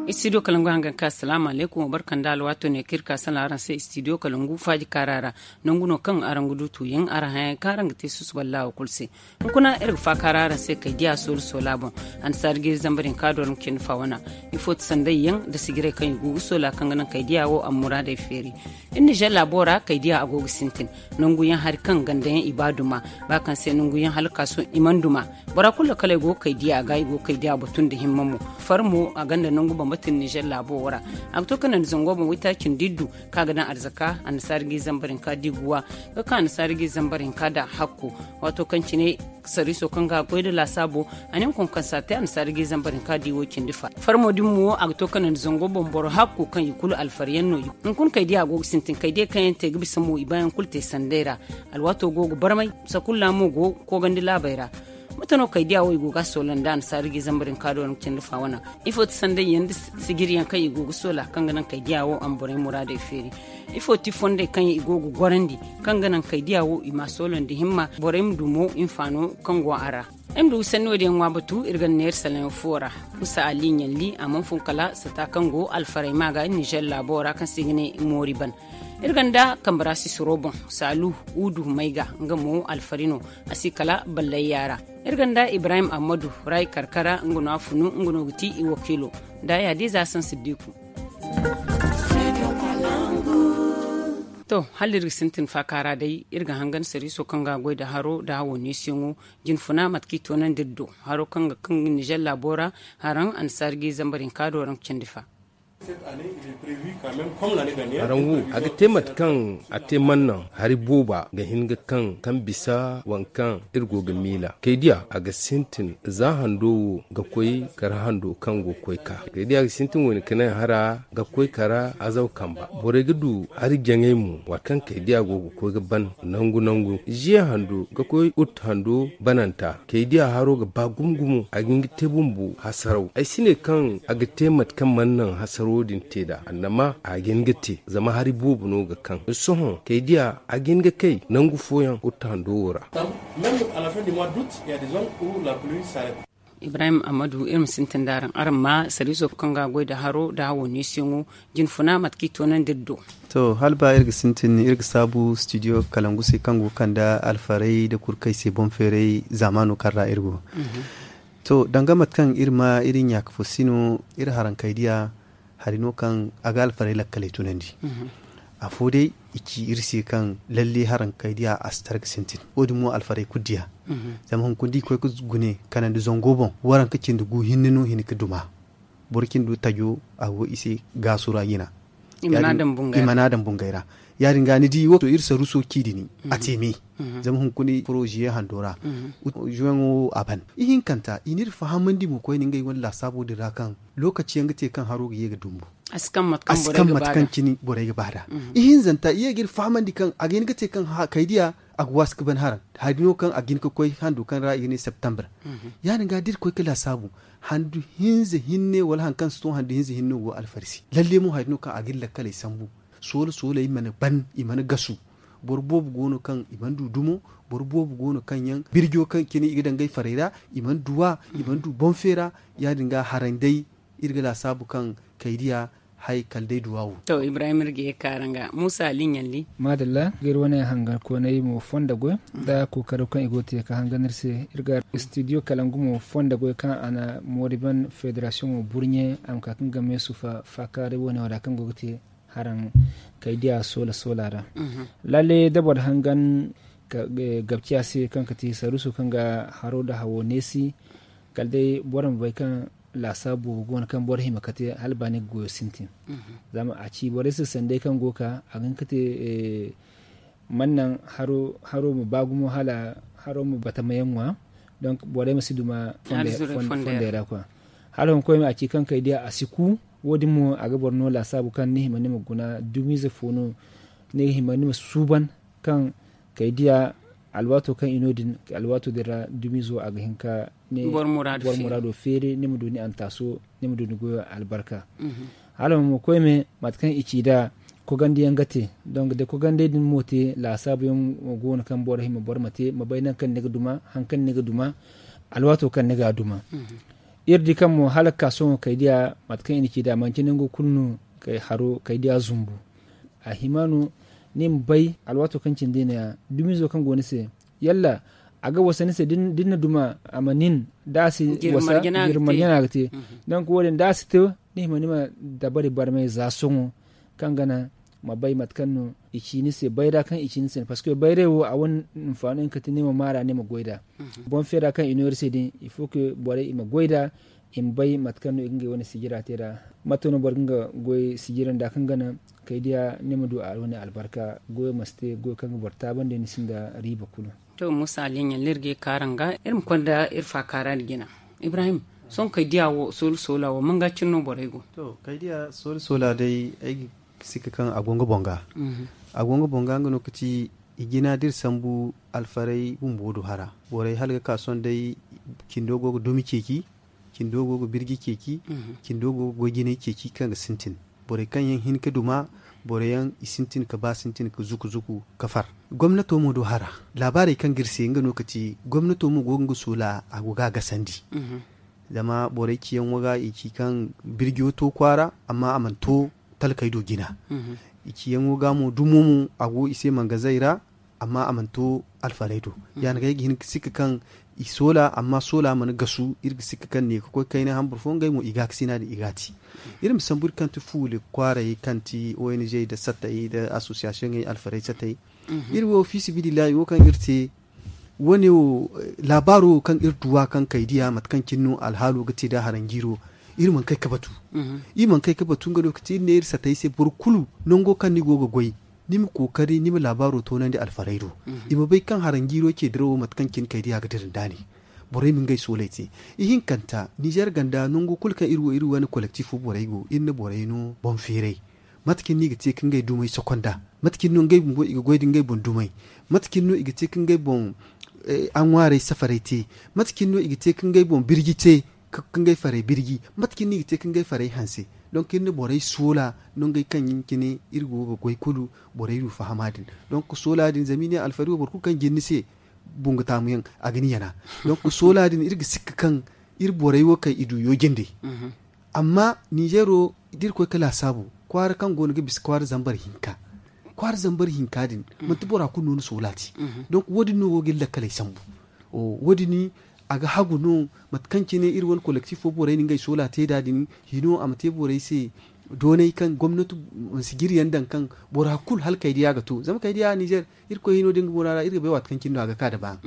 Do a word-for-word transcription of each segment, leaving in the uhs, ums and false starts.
Istidiyo kalangu hangan ka asalaamu alaykum, wa barka nda alwaato ne kaŋ iri ka salaŋ araŋ se istidiyo kalangu faaji kaara ra. Nangu no kaŋ araŋ ga du tuuyaŋ araŋ hayaŋ kaŋ araŋ ga te susuballah wo kulu se. Hunkuna iri ga faakaara araŋ se kaydiya soola soola boŋ. Annasaari ga iri zambar hinka do araŋ ga cindi fa wana. Ifo ti sanday yaŋ nda sijiray kaŋ i go ga soola kaŋ ga naŋ kaydiya wo a ma muraadey feeri. Iri nizer laabo ra kaydiya a go ga sintin. Nangu yaŋ hari kaŋ ganda yaŋ i ba duma ba kaŋ se nangu yaŋ hala kaaso i mana duma. Bora kulu lakaley go ga kaydiya ga i go ga kaydiya batu nda himma mo. Far mo a gonda nangu bambata iri nizer laabo wo ra. A ga to ka naŋ zango boŋ waytaaci nda iddu kaŋ a ga daŋ arzaka annasaari ga i zambar hinka da i guwa ga ka annasaari ga i zambar hinka da hakko. Waato kaŋ cine sariiso kaŋ ga goy nda laasaabo a ne ma konkonsa te annasaari ga i zambar hinka da i wo cindi fa. Farmo din mo a ga to ka naŋ zango boŋ boro hakku kaŋ i kulu alfar yaŋ no. Hunkuna kaydiya go ga sintin kaydiya kaŋ yaŋ te ga bisa mo i ba yaŋ kulu te sanday ra. Alwaato go ga barmay. Sakulla mo go koogandi laabey ra. Mate no kaydiya wo i go ga a soola nda annasaari ga i zambar hinka do araŋ ga cindi fa wana. Ifo ti sanday yaŋ nda sijiri yaŋ kaŋ i go ga soola kaŋ ga naŋ kaydiya wo a ma borey muraadey feeri? Ifo ti fondey kaŋ i go ga gorandi kaŋ ga naŋ kaydiya wo i ma a soola nda himma borey ma du mo hinfaano kaŋ go a ra? Ay ma du ga sanni wo- din yaŋ ŋwa batu iri ga neera salaŋ yaŋ fo ra. Kusa ali ɲalli a mana fun kala sata kaŋ go alfaray ma ga nizer laabo ra kaŋ se i ga ne moori ban. Iri gonda kambara sisiro boŋ saalu, udu mayga nga mo alfari no. A si kala ballayya ra. Iri gonda ibrahim ahmadu ray karkara nga no a funu nga no ga ti i wakiilo. Nda ya di za sansi diku. To hala iri ga sintin faakaara day iri ga hangan sariiso kaŋ ga goy nda haro nda hawo neesiyaŋo. Jinfuna mate kaŋ i toonandi iri do haro kaŋ ga kaŋ nizer laabo ra. Haraŋ annasaari ga i zambar hinka do araŋ ga cindi fa. Haraŋ wo a ga te mate kaŋ a te mannaŋ hari booba ga hin ga kaŋ kaŋ bisa waŋ kaŋ iri go ga miila kaydiya a ga sintin za hando wo ga koy kara hando kaŋ go ga koy ka kaydiya ga sintin wo- ne ka naŋ hara ga koy kara azaw kamba borey ga du hari jaŋay mo waati kaŋ kaydiya go ga koy ga ban nangu nangu ziye hando ga koy ut hando bananta kaydiya haro ga ba gumo gumo a ga hin ga te bumbo hasaraw ay si ne kaŋ a ga te mate kaŋ mana naŋ hasaraw din te nd'a annama a ga hin ga te zama hari boobo no ga kaŋ sohõ kaydiya a ga hin ga kay nangu fooyaŋ ut hando wo ra. Ibrahim amadu iri ma sintin da araŋ araŋ ma sariiso kaŋ ga goy nda haro nda hawo neesiyaŋo jinfuna mate kaŋ i toonandi iri do. To hala ba iri ga sintin iri ga saabu studio kalangu se kaŋ go ga kande alfarey nda kurkey se boŋ feeray zaamaano kaŋ ra iri go. To danga mate kaŋ iri ma iri ɲaaka fo si no iri harankey diya hari no kaŋ a ga alfarey lakkaley tunandi. Afo day i ci iri se kaŋ lalle harankey diya a si tara ga sintin wo- din mo alfarey kulu diya. Zama hunkuna da i koy ga gune kanandi zango boŋ waranka cindi gu hinne no hin ga duma. Boro cindi tajo a go i se gaasu ra jina. I mana daŋ bungay ra ya- din ga ni di wo to iri saruso ci dini a te me. Zama hunkuna furo ziye hando ra zuwaŋo wo a ban ihinkanta i n'iri fahamandi mo koyne ngey wane laasaabo din ra kaŋ lokaci yaŋ ga te kaŋ haro ga ye ga dumbu a si kaŋ mate kaŋ cine borey ga ba nd'a. Ihinzanta i ye ga iri fahamandi kaŋ a ga hin ga te kaŋ kaydiya a ga waasi ga ban haraŋ hari no kaŋ a ga hin ga koy hando kaŋ ra i ga ne septembre. Ya- din ga da iri koy ga laasaabu handu hinza hinne wala hari kaŋ si to handu hinza hinne go alfarsi lalle mo hari no kaŋ a ga iri lakkaley sambu. Soola soola i mana ban i mana gasu. Boro boobo go no kaŋ i mana du dumo. Boro boobo go no kaŋ yaŋ birjo kaŋ cine i ga daŋ ngey farey ra i mana du wa i mana du boŋ feera. Ya- din ga haray day iri ga laasaabu kaŋ kaydiya hay kala day duwa wo. To ibrahim iri ga ye ga ka araŋ ga muusa ali ɲalli. Maadalla ga iri wane hangankooney mo fonda goy nda kookaro kaŋ i go ga te ga hangan iri se. Iri ga studio kalangu mo fonda goy kaŋ a na moori ban federasiyoŋo burɲe a ma ka ga nga meesu faakaaray wane wo ra kaŋ go ga te haraŋ kaydiya soola soola ra. Lalle da boro hangan gabciya se kaŋ ga te saruuso kaŋ ga haro nda hawo neesi kala day boro ma bay kaŋ laasaabu go no kaŋ boro hima ga te hala ba ni ga goyo sintin. Zama a ci borey se sanday kaŋ go ga ka a ga hin ga te man naŋ haro ma ba gumo hala haro ma batamayaŋ ŋwa. Donk borey ma si duma fondey ra kwa. Hala hunkuna koy ma a ci kaŋ kay diya a si ku. Wo- din mo a ga boro no laasaabu kaŋ ni hima ni ma guna dumiize fo no ni ga hima ni ma suuban kaŋ kay diya alwaato kaŋ i no din alwaato din ra dumiizo a ga hin ka ne boro muraado feeri ni ma du ni antaaso ni ma du ni goyo albarka. Hala mo koy me mate kaŋ i ci nd'a Kogandi yaŋ ga te. Donk da kogandi din mo te laasaabu yaŋ go no kaŋ boro hima boro ma te ma bay nangu kaŋ ni ga duma, hari kaŋ ni ga duma, alwaato kaŋ ni ga a duma. Iri di kaŋ mo hala ga ka sohõ kaydiya mate kaŋ i na ci nd'a manti nango kulu no kaydiya zumbu. A hima no ni ma bay alwaato kaŋ cindi no- ya dumiizo kaŋ go ni se, yalla a ga wasa ni se da ni na duma a ma nin da a si wasa jiri marjana ga te. Donk wo- din da a si te, ni hima ni ma dabari barmay za sohõ kaŋ ga naŋ ma bay mate kaŋ no i ci ni se bayra kaŋ i ci ni se parceque bayray wo a wane hinfaano hinka te ni ma maara ni ma goy nd'a. Boŋ feera kaŋ i no iri se din il faut que borey i ma goy nd'a, i ma bay mate kaŋ no i ga ngey wane sijira te nd'a. Mate no boro ga nga goy sijira nd'a kaŋ ga naŋ kaydiya ni ma du a wane albarka goyo ma si te goyo kaŋ ga boro taabandi ni sinda riiba kulu. To muusa ali ɲalle iri ga ye ka araŋ ga iri ma konda iri faakaara nda jina. Ibrahim, sohõ kaydiya wo soolu soola wo manga cine no borey go? To kaydiya soolu soola day ay ga sikka kaŋ a go nga boŋ ga. A go nga boŋ ga nga no ka ci i jina da iri sambu alfarey bumbo du hara borey hala ga ka sohõ day cindo go ga dumi ceeci, cindo go ga birji ceeci, cindo go ga goy jinay ceeci kaŋ ga sintin. Borey kaŋ yaŋ hin ka duma, boro yaŋ i sintin ka ba sintin ka zuku zuku ka far. Gomnato mo du hara laabaarey kaŋ ga iri se nga no ka ci gomnato mo go ga nga soola a go ga a gasandi. Zama borey ciyaŋo ga i ci kaŋ birjo to kwaara amma a mana to talkey do jina. I ciyaŋo ga mo dumo mo a go i se mangazey ra, amma a mana to alfarey do. Ya- din ga ay ga hin ga sikka kaŋ i soola amma soola mana gasu iri ga sikka kaŋ ne ga koy kayna hambur fo ngey mo i ga a ga sina din i ga a te. Iri ma sambu iri kaŋ ti fuule kwaaray kaŋ ti ong nda sattey nda association ŋey alfarey sattey. Iri wo fiisabilillahi wo kaŋ iri te wo- ne wo laabaaro wo kaŋ iri duw'a kaŋ kay diya mate kaŋ cine no alhaalo ga te nda haranjiiro. Iri mana kay ga batu. Iri mana kay ga batu nga no ga te iri ne iri sattey se boro kulu nango kaŋ ni go ga goy, ni ma kookari ni ma laabaaro toonandi alfarey do. I ma bay kaŋ haranjiiro ce dirawo mate kaŋ cine kay diya ga dira nda ne. Borey ma ngey sooley te. Ihinkanta ninzeer ganda nango kulu kaŋ iri wo iri wane kolektif fo borey go iri na borey no boŋ feeray. Mate cine no i ga te ka ngey dumey sokonda? Mate cine no ngey bumbo i ga goy nda ngey boŋ dumey? Mate cine no i ga te ka ngey boŋ aŋwaarey safarey te? Mate cine no i ga te ka ngey boŋ birji te ka ngey farey birji? Mate cine no i ga te ka ngey farey hanse? Donk iri na borey soola nongey kaŋ yaŋ cine iri go ga goy kulu borey du fahama din. Donk soola din zama i ne alfari wo boro kulu kaŋ jin ni se bungu taamu yaŋ a ga ni yana. Donk soola din iri ga sikka kaŋ iri borey wo kay i du yooje nde. Amma ninzeero da iri koy ga laasaabu kwaara kaŋ go no ga bisa kwaara zambar hinka kwaara zambar hinka din manti bora kulu no ni soola te. Donk wo- din no go ga iri lakkaley sambu. Wo- din a ga hagu no mate kaŋ cine iri wane kolektif fo borey na ngey soola te nd'a din hino a ma te borey se doonay kaŋ gomnati mansi jiryaŋ daŋ kaŋ bora kulu hala kay diya ga to zama kay diya ninzeer. Irkoy hino da nga boŋ ra iri ga bay waati kaŋ cine no a ga ka nda ba.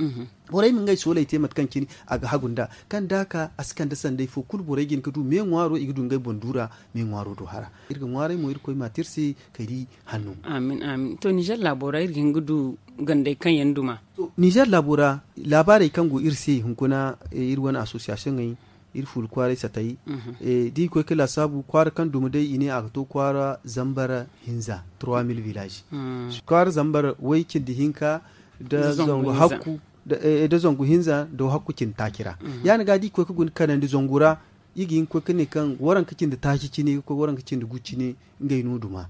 Borey ma ngey sooley te mate kaŋ cine a ga hagu nd'a kaŋ da a ka a si kande sanday fo kulu borey ga hin ga du me ŋwaaro i ga du ngey boŋ duura. Me ŋwaaro do hara iri ga ŋwaaray mo irkoy ma te iri se kay di hanno. Amin amin to ninzeer laabo ra iri ga hin ga du gandey kaŋ yaŋ duma. Ninzeer laabo ra laabaarey kaŋ go iri se hunkuna iri wane asosiyasiyoŋey iri fuula kwaaray satay. Da i koy ga laasaabu kwaara kaŋ duma day i ne a ga to kwaara zambar hinza trois mille village. Kwaara zambar way cindi hinka nda zangu hinza nda hakku cindi taaci ra. Ya- din ga da i koy ga guna kanandi zangu ra i ga hin ga koy ga ne kaŋ waranka cindi taaci cine ga koy waranka cindi gu cine. Ngey no duma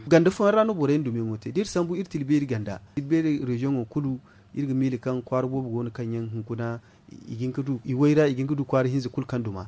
ganda fooyaŋ ra no boro yaŋ dumiyaŋo te da iri sambu iri tilbeeri ganda tilbeeri reziyoŋo kulu iri ga miila kaŋ kwaara boobo go no kaŋ yaŋ hunkuna i ga hin ga du i way ra i ga hin ga du kwaara hinza kulu kaŋ duma.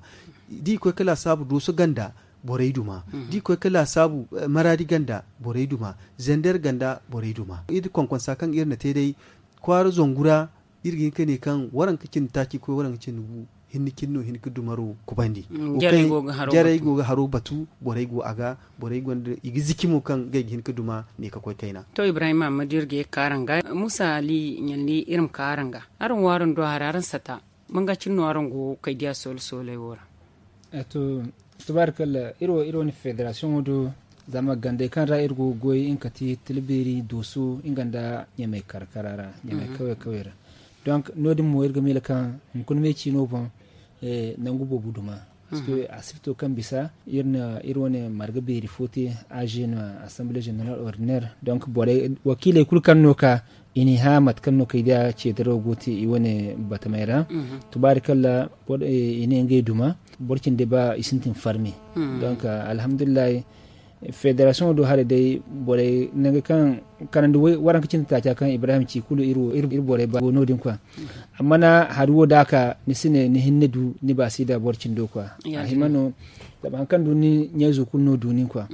Da i koy ga laasaabu dooso ganda borey duma da i koy ga laasaabu maraadi ganda borey duma zender ganda borey duma iri konkonsa kaŋ iri na te day kwaara zangu ra. Iri ga hin ga ne kaŋ waranka cindi taaci ga koy waranka cindi gu hinne cine no hin ga dumaro kubandi. Jarey go ga haro batu borey go a ga borey gonda i ga ziki mo kaŋ ngey ga hin ga duma ne ga koy kayna. To ibrahim ammadu iri ga ye ga ka araŋ ga muusa ali ɲalli iri ma ka araŋ ga araŋ wo araŋ do hari araŋ sata manga cine no araŋ go kay diya soole sooley wo ra? To tubaarikalla iri wo iri wane federasiyoŋo do zama gandey kaŋ ra iri go ga goy nga kate tilbeeri dooso nga nda ɲamey karkara ra ɲamey kawey kawey ra. Donk no- din mo iri ga miila kaŋ hunkuna me ciino boŋ nangu boobo duma parceque a si ga to kaŋ bisa iri na iri wane marga beeri fo te age no assemblee général ordinaire donk borey wakiiley kulu kaŋ no ka i n'i hã mate kaŋ no kay da ceedaro go te i wane batamey ra. Tubaarikalla i ne ngey duma boro cindi ba i sintin farmi. Donk alhamdulillahi Federasiyoŋo do haray day borey nangu kaŋ kanandi waranka cindi taaca kaŋ ibrahim ci kulu iri borey ba go no- din kwa. Amma na hari wo da a ka ni si ne ni hinne du ni baasi da boro cindo kwa. A hima no zama hari kaŋ du ni ɲayzo kulu no du nin kwa.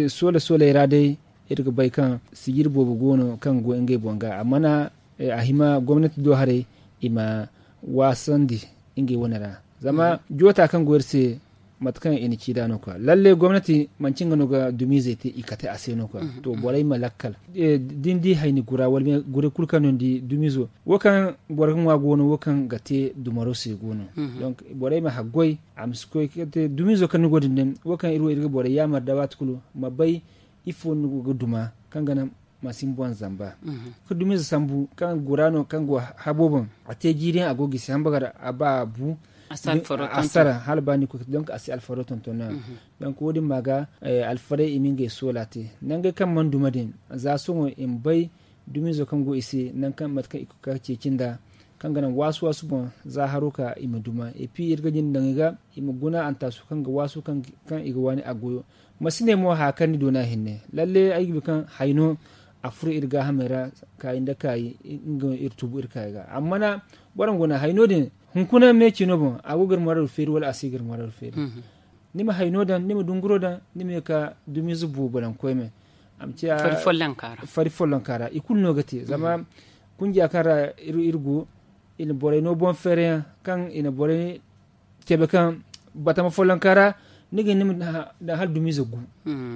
Soola sooley ra day iri ga bay kaŋ sijiri boobo go no kaŋ go ngey boŋ ga amma na a hima gomnati do haray i ma waasandi ngey wane ra. Zama joota kaŋ go iri se mate kaŋ i na ci nd'a no kwa lalle gomnati manci nga no ga dumiizey te i kate a se no kwa. To borey ma lakkal da ni di hayni gura wala guray kulu kaŋ no ni di dumiizo wo kaŋ boro ga ŋwa go no wo kaŋ ga te dumaro se go no. Donk borey ma haggoy a ma si koy ga te dumiizo kaŋ ni go din din wo kaŋ iri wo iri ga borey yaamar nda waati kulu ma bay ifo no ni go ga duma kaŋ ga naŋ ma si ni boŋ zamba. Ga dumiize sambu kaŋ gura no kaŋ go habo boŋ a te jiiri yaŋ a go gisi hamba ga a ba a bu a sara hala ba ni koy ga te donk a si alfaro tonton no. Donk wo- din ma ga alfaray i ma ngey soola te nangey kaŋ mana duma din za sohõ i ma bay dumiizo kaŋ go i se nangu kaŋ mate kaŋ i ga ka ceeci nd'a kaŋ ga naŋ waasu waasu boŋ za haro ka i ma duma. Epi iri ga jin daŋ i ga i ma guna antaasu kaŋ ga waasu kaŋ i ga waani a goyo. Ma si ne mo haya kaŋ ni doona hinne lalle ay ga bay kaŋ hayno a furo iri gaahamey ra kaayi nda kaayi nga no iri tubu iri kaayi ga amma na boro ma guna hayno din hunkuna me ciino boŋ a go ga iri muraadu feeri wala a si ga iri muraadu feeri. Ni ma hayno daŋ ni ma dunguro daŋ ni ma ye ka dumiize boobo daŋ koyne a ma ciya fari follonka ra i kulu no ga te zama kunjiya kaŋ ra iri go i na borey no boŋ feere yaŋ kaŋ i na borey cabe kaŋ batama follonka ra ni ga hin ni ma daŋ hala dumiize gu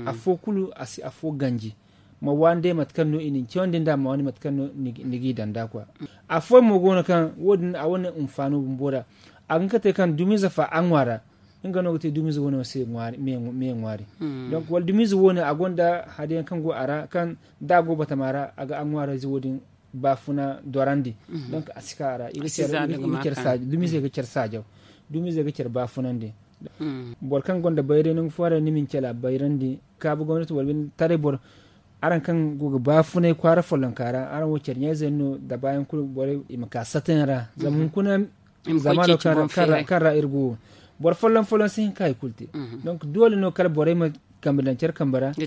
afo kulu a si afo ganji ma waani day mate kaŋ no i na ni cawandi nd'a ma waani mate kaŋ no ni g'i daŋ nd'a kwa. Afooyaŋ mo go no kaŋ wo- din a wane hinfaano bumbo ra a ga hin ka te kaŋ dumiize fa a ŋwa ra nga no ga te dumiize wane se me ŋwaari. Donk wala dumiize wane a gonda hari yaŋ kaŋ go a ra kaŋ da a go batama ra a ga a ŋwaarayze wo- din baafuna dorandi. Donk a si ka a ra i ga care saajo dumiize ga care saajo dumiize ga care baafunandi. Boro kaŋ gonda bayray nangu fooyaŋ ra ni ma ni care a bayrandi kaabu gomnati wala binde taray boro araŋ kaŋ go ga baafunay kwaara follonka ra araŋ wo care ɲayze yaŋ no dabaayaŋ kulu borey i ma ka satayaŋ ra zama hunkuna zamaano kaŋ ra iri go wo boro folloŋ folloŋ si hin ka hari kulu te. Donk doole no kala borey ma kambe daŋ care kambe ra ga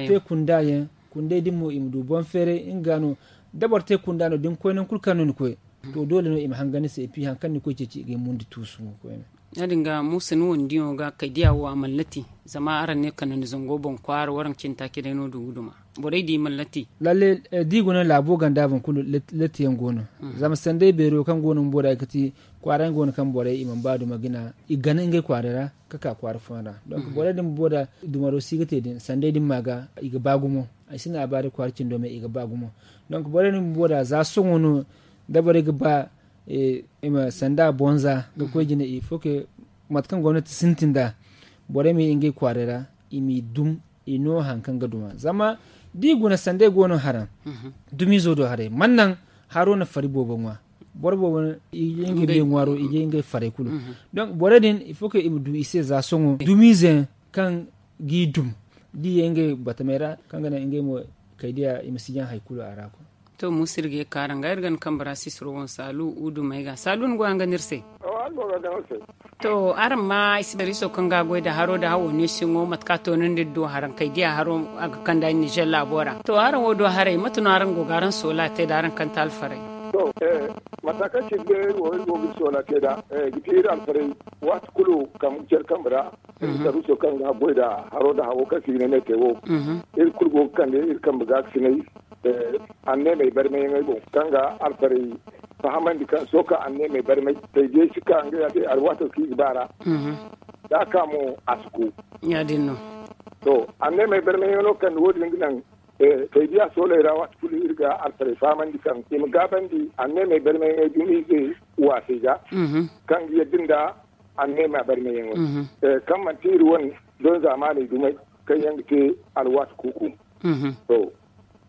te kunda yaŋ kunday din mo i ma du boŋ feeray nga no da boro te kunda no da ni koy nangu kulu kaŋ no ni koy to doole no i ma hangan ni se et puis hari kaŋ ni koy ceeci i ga ay mundi tuusu mo koyne. Ya- din ga muusa ni wane diyaŋo ga kay diya wo a mana lati zama araŋ ne kala ni zango boŋ kwaara waraŋ cine taaci day no du ga duma borey di mana lati. Lalle da i guna laabo ganda boŋ kulu lati yaŋ go no. Zama sanday beero kaŋ go no bumbo da ay ga ti kwaara yaŋ go no kaŋ borey i mana ba duma gina i ga gana ngey kwaaray ra ga ka kwaara fooyaŋ ra. Donk borey din bumbo da dumaro si ga te din sanday din ma ga i ga ba gumo. Ay si ne a ba day kwaara cindo me i ga ba gumo. Donk borey din bumbo da za sohõ no da borey ga ba i ma sanda bonza ga koy jine il faut que mate kaŋ gomnati sintin nd'a borey ma ye ngey kwaaray ra i m'i dum i no hari kaŋ ga duma zama da i guna sanday go no haraŋ dumiizo do haray mana naŋ haro na fari boobo ŋwa. Boro boobo i ye ngey me ŋwaaro i ye ngey faray kulu. Donk borey din il faut que i ma du i se za sohõ dumiize yaŋ kaŋ g'i dum da i ye ngey batamey ra kaŋ ga naŋ ngey mo kay diya i ma si jaŋ hari kulu a ra. To muusa iri ga ye ga ka araŋ ga iri ga ni kambe ra sisiro boŋ saalu udu may ga saalu ni go yaŋ ga no iri se. To araŋ ma ay si dariiso kaŋ ga a goy nda haro nda hawo neesiyaŋo mate kaŋ a toonandi iri do haraŋ kay diya haro a ga kand'a nizer laabo ra to araŋ wo do haray mate no araŋ go ga araŋ soola te nda araŋ kante alfaray. To mata kaŋ cine day iri wo iri go ga iri soola te nd'a ga ti iri alfaray waati kulu kambe care kambe ra. Iri dariiso kaŋ ga a goy nda haro nda hawo kaŋ se i ga ne ne te wo iri kulu go ga kande iri kambe ga ga sinay. Anneemey barmayyaŋey boŋ kaŋ ga alfarey fahamandi kaŋ sohõ kaŋ anneemey barmay taydiyey si ka ngey a te alwaato kaŋ i ga ba ra. Da a ka mo a si ku. Ya- din no. To anneemey barmayyaŋo kaŋ wo- din ga naŋ kaydiya sooley ra waati kulu iri ga alfarey fahamandi kaŋ i ma gaabandi anneemey barmayyaŋey dumiize waasey ga kaŋ ga yadda nda anneema barmayyaŋo kaŋ manti iri wane don zaamaaney dumey kaŋ yaŋ ga te alwaati kuuku. To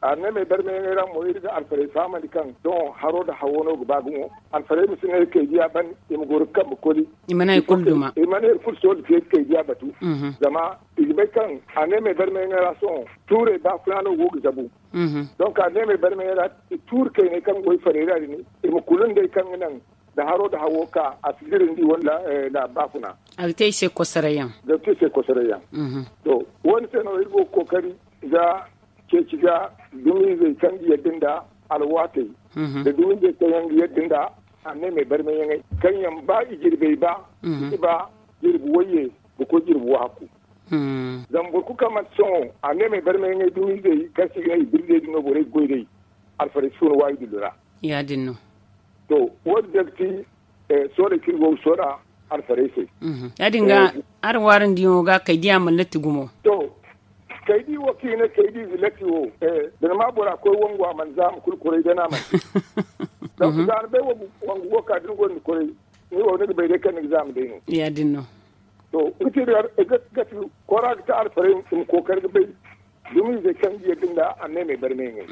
Anneemey barmayaŋey ra mo iri ga alfarey fahamandi kaŋ sohõ haro nda hawo no ga ba gumo. Alfarey ma si ne kaydiya ban, i ma goro ga kambe koli. I mana hari kulu duma. I mana hari kulu sohõ da te kaydiya batu. Zama i ga bay kaŋ anneemey barmayaŋey ra sohõ tuurey baafuna no go ga zabu. Donk anneemey barmayaŋey ra tuuri kayney kaŋ go i farey ra din, i ma kulu nd'ey kaŋ ga naŋ da haro nda hawo ka a si dira ni di wala laabu baafuna. A ga te i se kosoray yaŋ. Ga te i se kosoray yaŋ. To, wo- ni se no iri go ga kookari ga ceeci ga dumiizey kaŋ ga yadda nda alwaatey, nda dumiizey kaŋ yaŋ ga yadda nda anneemey barmayaŋey kaŋ yaŋ ba i jirbey ba, i si ba jirbi wayye ga koy jirbi wahakku. Zama boro kulu kaŋ manti sohõ anneemey barmayaŋey dumiizey kaŋ se i ga ne i birzey din no borey ga goy day, alfarey si fun waayi dullu ra. Ya- din no. To, wo- din day ga ti sooley kaŋ iri go ga soola alfarey se. Ya- din ga, araŋ waarandiyaŋo ga kaydiya mana latti gumo. To, kaydi wo kaŋ i ne kaydi ize latti wo, da ni ma bora koy wangu a mana zaama kulu kuray da ni a mana te. Donk za ni bay wangu go ka da ni gonda kuray, ni wo ni ga bay day kaŋ ni ga zaama day no. Ya- din no. To, nga te ga ti kora ga te alfarey i ma kookari ga bay dumiizey kaŋ ga yadda nda anneemey barmayaŋey.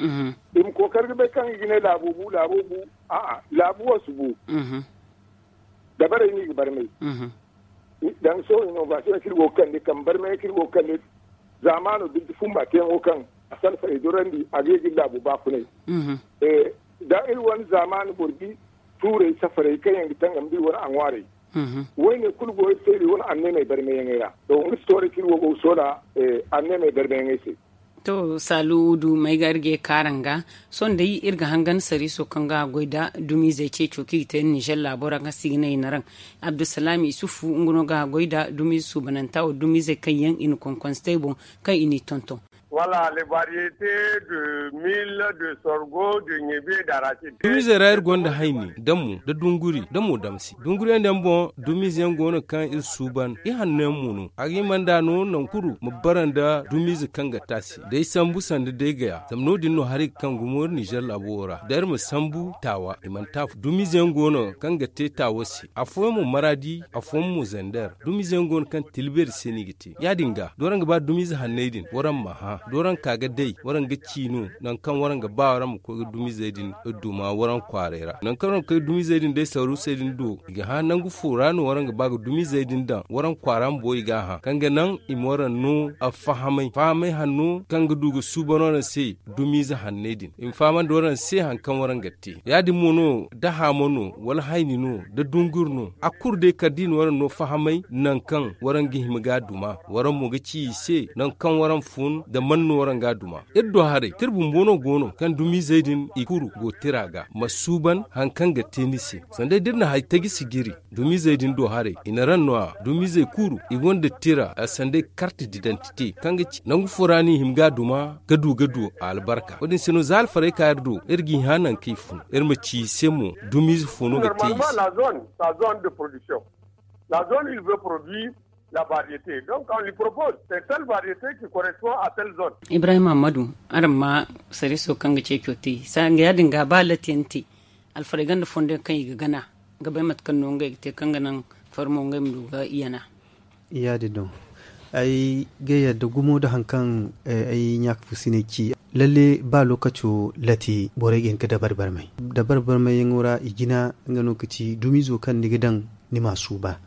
I ma kookari ga bay kaŋ i ga ne laabo bu laabo bu. A'a, laabu wo si bu. Dabarey no i ga barmay. Danga sohõ inovasiyoŋ kaŋ iri go ga kande kambe barmay kaŋ iri go ga kande. Zaamaano birji fumba teeyaŋo kaŋ a si alfarey dorandi a ga ye ga iri laabu baafunay. Da iri wane zaamaani boro di tuurey safarey kaŋ yaŋ ga tangam da iri wane aŋwaarey. Woyne kulu go iri se iri wane anneemey barmayaŋey ra. To nga si tooray kaŋ iri wo go ga soola anneemey barmayaŋey se. To, saalu du may ga iri ga ye kaaraŋ ga. Sohõ day iri ga hangan sariiso kaŋ ga goy nda dumiizey ceeco kaŋ i ga te nizer laabo ra kaŋ se i ga ne i na raŋ. Abdulsalaam isufu nga no ga goy nda dumiize suubananta wo dumiizey kaŋ yaŋ i na konkonse te ay boŋ kaŋ i n'i tonton. Wala le variyete de mil de sorgo de ɲebe da rasid. Dumiizey ra iri gonda hayni da mo da dunguri da mo damsi. Dunguriyaŋ din boŋ dumiize yaŋ go no kaŋ iri suuban ihanno yaŋ mo no a ga hima nd'a no nangu kulu ma bara nda dumiize kaŋ ga taasi day sambu sanda day gaya zama no- din no hari ga kaŋ gumo iri nizer laabo wo ra da iri ma sambu taawa i mana te afo dumiize yaŋ go no kaŋ ga te taawa se afooyaŋ mo maraadi afooyaŋ mo zander. Dumiize yaŋ go no kaŋ tilbeeri se no i ga te ya- din ga da waraŋ ga ba dumiize hanney din waraŋ ma hã da waraŋ ka ga day waraŋ ga ci no nangu kaŋ waraŋ ga ba waraŋ ma koy ga dumiizey din duma waraŋ kwaaray ra nangu kaŋ waraŋ ga koy ga dumiizey din day saruusey din do i ga hã nangu fo ra no waraŋ ga ba ga dumiizey din daŋ waraŋ kwaara bumbo i g'a hã kaŋ ga naŋ i ma waraŋ no fahamay fahamay hanno kaŋ ga du ga suuban waraŋ se. Dumiize hanney din i ma fahamandi waraŋ se hari kaŋ waraŋ ga te ya- din mo no da haamo no wala hayni no da dunguri no a kulu day kala da i na waraŋ no fahamay nangu kaŋ waraŋ ga hima ga a duma waraŋ mo ga ci i se nangu kaŋ waraŋ fun da man no waraŋ ga a duma. Iri do haray tira bumbo no go no kaŋ dumiizey din i kulu go tira ga ma suuban hari kaŋ ga te ni se sanda day da iri na hari taji si jiri. Dumiizey din do haray i na raŋ no a dumiizey kulu i gonda tira a sanday karti didantite kaŋ ga ci nangu fo ra no i hima ga a duma ga du ga du a albarka wo- din se no za alfarey ka iri do iri g'i hã nangu kaŋ i fun iri ma ci i se mo dumiize fo no ga te i se. La zone il veut produire la variété donc on lui propose c'est telle variété qui correspond à telle zone. Ibrahim ahmadu, araŋ ma sariiso kaŋ ga ceeco te sanga ya- din ga ba latiyaŋ te alfarey gonda fondo yaŋ kaŋ i ga gana ga bay mate kaŋ no ngey ga te kaŋ ga naŋ farmo ngey ma du ga yana. Ya- din no ay ga yadda gumo nda hari kaŋ ay ɲaaka fusiney ci lalle ba lookaco lati borey ga hin ga dabari barmay dabari barmayyaŋo ra i jina nga no ga ci dumiizo kaŋ ni ga daŋ ni m'a suuba.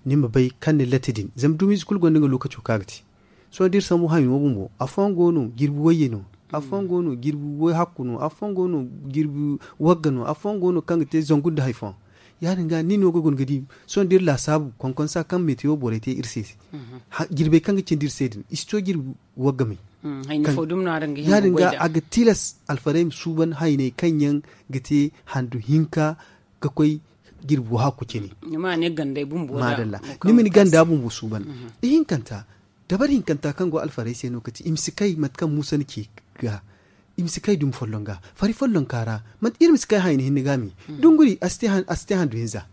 Ni ma bay kaŋ ni lati din zama dumiize kulu gonda nga lookaco kaŋ a ga te. Sohõ da iri sambu hayo bumbo afooyaŋ go no jirbi wayye no. Afooyaŋ go no jirbi way hakku no afooyaŋ go no jirbi wagga no afooyaŋ go no kaŋ ga te zangu nda hari fooyaŋ. Ya- din ga nin no ga guna ga di sohõ da iri laasaabu konkonsa kaŋ metewo borey te iri se. Jirbey kaŋ ga cindi iri se din i si to jirbi wagga may. Ya- din ga a ga tilas alfarey ma suuban hayney kaŋ yaŋ ga te handu hinka ga koy jirbi wo hakku cine. Ni ma ne gandey bumbo da madalla ni ma ni ganda bumbo suuban. Ihinkanta dabari hinkanta kaŋ go alfarey se no ga ti i ma si kay mate kaŋ muusa na ci ga i ma si kay dumi folloŋ ga fari follonka ra. Manti iri ma si kay hayni hinne ga me dunguri a si te handu hinza.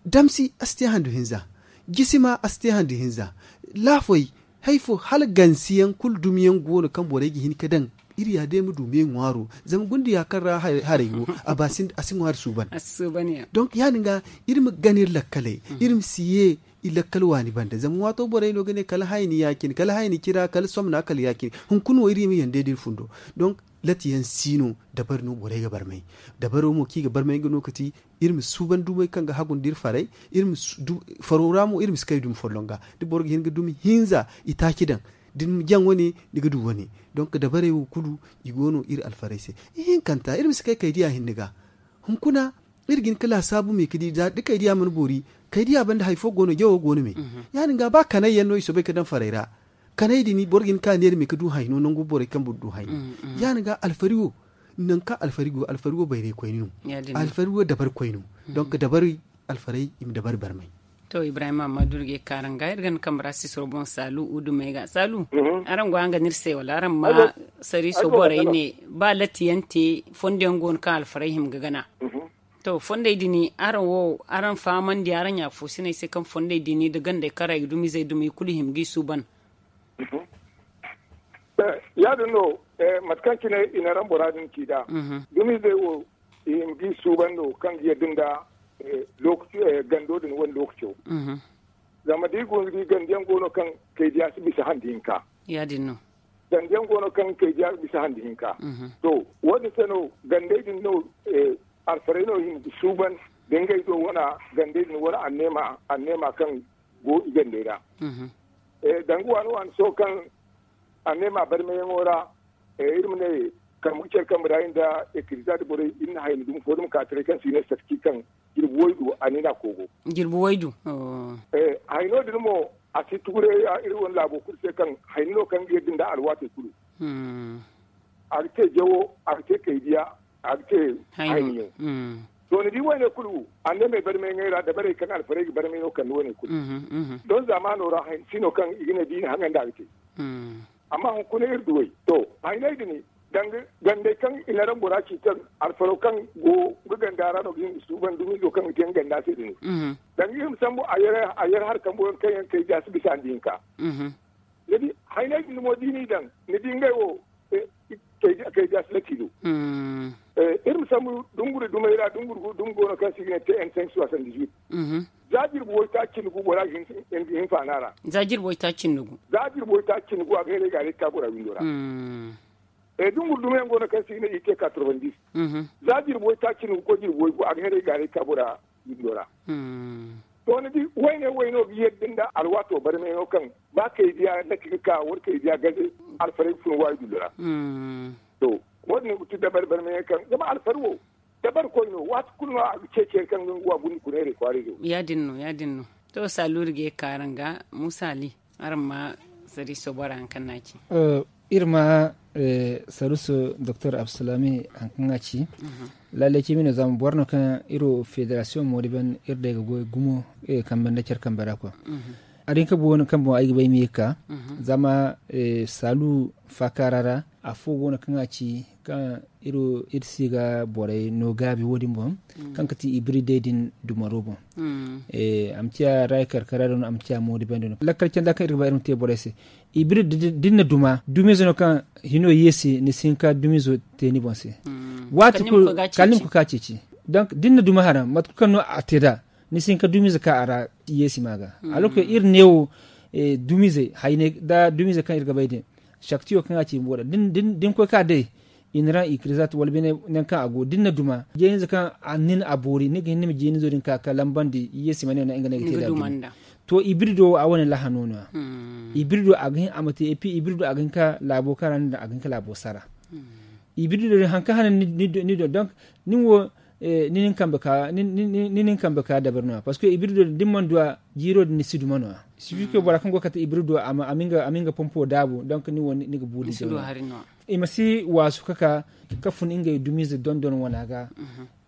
Damsi a si te handu hinza. Jisima a si te handu hinza. Laafoy hay fo hala gansiyaŋ kulu dumiyaŋ go no kaŋ borey ga hin ga daŋ. Iri ya day ma du me ŋwaaro zama gundiya kaŋ ra haray go a ba a si ŋwaari suuban. Donk ya- din ga iri ma gana iri lakkaley iri ma si ye i lakkal waani banda zama waato borey no ga ne kala hayni ya- cine kala hayni cira kala somna kala ya- cine. Hunkuna wo iri ma yande da iri fundo. Donk lati yaŋ si no. Dabari no borey ga barmay dabaro mo kaŋ i ga barmay nga no ka ti iri ma suuban dumey kaŋ ga hagu nda iri farey. Faro ra mo iri ma si kay dumi folloŋ ga da boro ga hin ga dumi hinza i taaci daŋ da ni ma jaŋ wane ni ga du wane. Donk dabarey wo kulu i go no iri alfarey se. Ihinkanta iri ma si kay kay diya hinne ga hunkuna iri ga hin ga laasaabu me ga di da kay diya mana boori kay diya banda hari fo go no jawo go no me. Ya- din ga ba kanay yaŋ no i soobay ga daŋ farey ra kanay din boro ga hin ga ka neera me ga du hayno nangu borey kaŋ boro du hayno. Ya- din ga alfari wo nangu kaŋ alfari go alfari wo bayraykoyne no. Alfari wo dabarikoyne no. Donk dabari alfarey i ma dabari barmay. To ibrahim amma durge kaaranga iri ga ni kambe ra sisoro boŋ saalu udumey ga saalu. Araŋ go araŋ ga ne iri se wala araŋ ma sariiso borey ne ba latti yaŋ te fondo yaŋ go no kaŋ alfarey hima ga gana. To fondey din araŋ wo araŋ fahamandi araŋ ya foosiney se kaŋ fondey din nda gandey kaŋ ra i ga dumizey dumi i kulu i hima ga i suuban. Ya- din no mate kaŋ cine i na raŋ bora din ci nd'a dumizey wo i hima ga i suuban no kaŋ ga yadda nda gando din wane lookaco. Zama da i go ni di ganda yaŋ go no kaŋ kay diya si bisa handi hinka. Ya- din no. Ganda yaŋ go no kaŋ kay diya bisa handi hinka. To wo- din se no gandey din no alfarey no i hima ga suuban da ngey do wane gandey din wala anneema kaŋ go i gandey ra. Danga waani waani sohõ kaŋ anneema barmeyaŋo ra iri ma ne kambe ga care kambe ra iri nda ekiriza nda borey iri na hayni dumi fo dumi ka taray kaŋ se i ne sarki kaŋ jirbi waydu a ne no a koogo. Jirbi waydu. Hayno din mo a si tuguray iri wane laabo kulu se kaŋ hayni no kaŋ ga yadda nda alwaatey kulu. A ga te jawo a ga te kaydiya a ga te hayniyaŋ. To ni di wayne kulu anneemey barmay ŋey ra dabarey kaŋ alfarey ga barmay no kande wayne kulu. Don zaamaano ra hayni si no kaŋ i ga ne da i na haŋanda a ga te. Amma hunkuna iri duwey to hayney din danga gandey kaŋ i na raŋ bora ci kaŋ alfaro kaŋ go ga ganda ra no ga hin ga suuban dumizo kaŋ ga te nga ganda se din. Danga iri ma sambu a yar hari kambo yaŋ kaŋ yaŋ kay jaasi bisa nda hinka. Ni di hayney din mo da i n'i daŋ ni di ngey wo kay jaasi lati do. Iri ma sambu dunguri dumey ra dunguri dumi go no kaŋ se i ga ne te n cinq soixante dix huit. Za jirbi waytaaci cindi gu bora ga hin faana ra. Za jirbi waytaaci cindi gu. Za jirbi waytaaci cindi gu a ga heray ga a day ga ka bora windo ra. Dunguri dumiyaŋ go no kaŋ se i ga ne i te quatre vingt dix. Za jirbi waytaaci cindi gu koy jirbi way gu a ga heray ga a day ga ka bora windo ra. To ni di wayne wayno ga yadda nda alwaato barmay no kaŋ ba kay diya laki ga ka wala kay diya gaze alfarey ga fun waayi dullo ra. To wo- din no ga ti dabari barmay no kaŋ zama alfari wo dabari koy no waati kulu no a ga ceeci hari kaŋ ga nga wa gundi kuneerey kwaaray zo. Ya- din no ya- din no. To saalu iri ga ye ga ka araŋ ga muusa ali araŋ ma sariiso bora hari kaŋ no a ci. Iri ma sariiso doktor abdulsalami hari kaŋ a ci. Lallay cimi no zama boro no kaŋ iri wo federasiyoŋ moodiban iri day ga goy gumo iri ga kambe nda care kambe ra kwa. A din ka bu wane kaŋ boŋ ay ga bay ma ye ga ka zama saalu faakaara ra afo go no kaŋ a ci kaŋ iri si ga borey no gaabi wo- din boŋ kaŋ ga ti ibriday din dumaro boŋ. A ma ciya raay karkara do no a ma ciya moodi bande no lakkal canda kaŋ iri ga ba iri ma te borey se. Ibrid da ni na duma dumiize no kaŋ hino yeesi ni si hin ka dumiizo te ni boŋ se. Waati kulu kala ni ma koy ka ceeci. Donc da ni na duma hara mate kulu kaŋ no a te nd'a ni si hin ka dumiize ka a ra yeesi ma ga. Alors que iri neewo dumiize hayney nda dumiize kaŋ iri ga bay din saktiyo kaŋ a ci bumbo ra da ni koy ka day i na raŋ i kirizat wala bine nangu kaŋ a go da ni na duma jeenize kaŋ a nin a boori ni ga hin ni ma jeenizo din ka ka lambandi yeesi ma ne no nga no ay ga te da duma. To ibrido wo a wane laha no no ya. Ibrido a ga hin a ma te epi ibrido a ga hin ka laabo kaŋ ra ni daŋ a ga hin ka laabo sara. Ibrido din hari kaŋ hane ni do donc nin wo ni nin kambe ka dabari no ya parce que ibrido din da ni mana du a jiiro din ni si duma no ya. Sifike bora kaŋ go kate ibrido a ma nga pompo daabu donc ni wo ni ga buuli. I ma si waasu ka ka ka fun ngey dumiize dondon wana ga.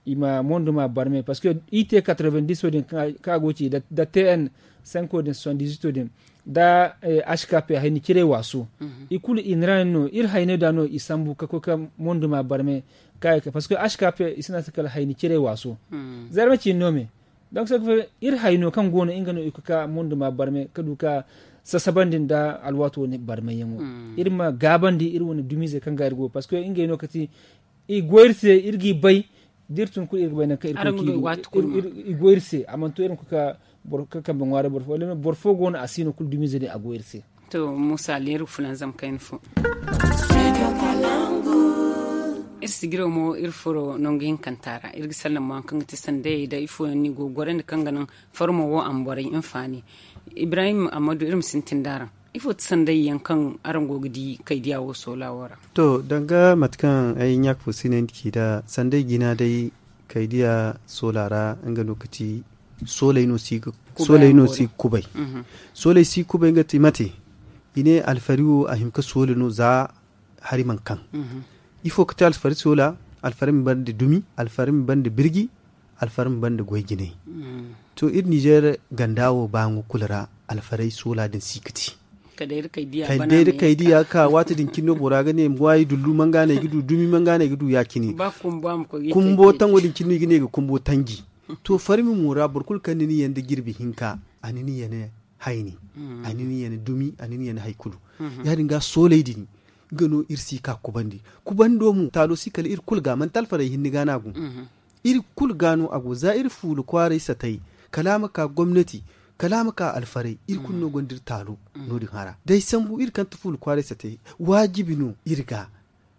I ma monduma barme parce que i te quatre-vingt-dix din ka go ci da tn cinq din soixante-dix-huit din da h k p hayni cire waaso. I kulu i na ra no iri hayne da no i sambu ka koy ka monduma barme ka parce que h k p i sina se kala hayni cire waaso. Zarma ci no me donc ce que iri hayno kaŋ go no nga no i koy ka monduma barme ka du ka sasabandi nda alwaato barme yaŋo. Iri ma gaabandi iri wane dumiize kaŋ ga iri go parce que ngey no kati i go iri se iri g'i bay da iri tun kulu iri ga bay nangu kaŋ iri koy k'i go iri se a mana to iri ma koy ka kambe ŋwaaray boro fo wala boro fo go no a si no kulu dumiize din a go iri se. To muusa leeru fulanzam kayna fo. Iri sijiro mo iri furo nangu hinkanta ra iri ga sallama waŋ kaŋ ga ti sandayey da ifo yaŋ no i go ga gorandi kaŋ ga naŋ farmo wo a ma borey hinfaani. Ibrahim ammadu iri ma sintin da araŋ. Ifo ti sandayey yaŋ kaŋ araŋ go ga di kaydiya wo soola wo ra? To, danga mate kaŋ ay ɲaaka fo sinay nda ci nd'a, sanday jina day kaydiya soola ra, nga no ga ti sooley no si ga kubay. Sooley si ga kubay nga ti mate. I ne alfari wo a hima ga soola no za hari mana kaŋ. Ifo ga ti alfari soola? Alfari ma banda dumi, alfari ma banda birji, alfari ma banda goy jinay. To, iri nizer ganda wo ba ŋwa kulu ra, alfaray soola din si ga ti. Kala day da kaydiya ga ka waati din cine no bora ga ne ma ŋwaayi dullu manga no ay ga du dumi manga no ay ga du ya- cine. Kumbo tango din cine no i ga ne i ga kumbo tanji. To, farmi mo ra boro kulu kaŋ ni na yaŋ da jirbi hinka, a na ni yaŋ hayni, a na ni yaŋ dumi, a na ni yaŋ hari kulu. Ya- din ga sooley din, nga no iri si ga ka kubandi. Kubando mo taalo si kala iri kulu ga, manti alfarey hinne ga no a go. Iri kulu ga no a go za iri fuula kwaaray satay, kala a ma ka gomnati, kala a ma ka alfarey, iri kulu no gonda iri taalo. No- din hara da ay sambu iri kaŋ ti fuula kwaaray satay, waajibi no iri ga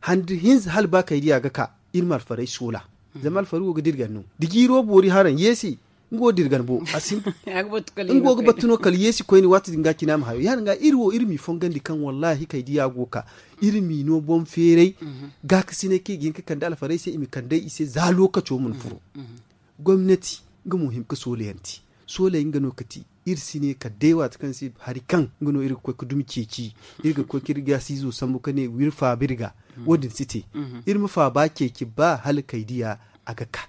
handi hinza hala ba kaydiya ga ka, iri ma alfarey soola. Zama alfari wo ga dirgan no da jiiro boori haraŋ yeesi, nga wo dirgan bo. Nga wo ga battu no kala yeesi koyne waati din ga cina ma hayo ya- din ga iri wo iri m'i fongandi kaŋ wallaahi kaydiya go ga ka, iri m'i no boŋ feeray. Gaakasinay kaŋ i ga hin ga kande alfarey se i ma kande i se za lookaco mana furo. Gomnati nga mo hima ga soolayanti. Soolay nga no ga ti iri si ne kala day waati kaŋ se hari kaŋ nga no iri ga koy ga dumi ceeci, iri ga koy ga iri gaasiizo sambu ga ne wa iri faaba iri ga. Wo- din si te. Iri ma faaba ceeci ba hala kaydiya a ga ka.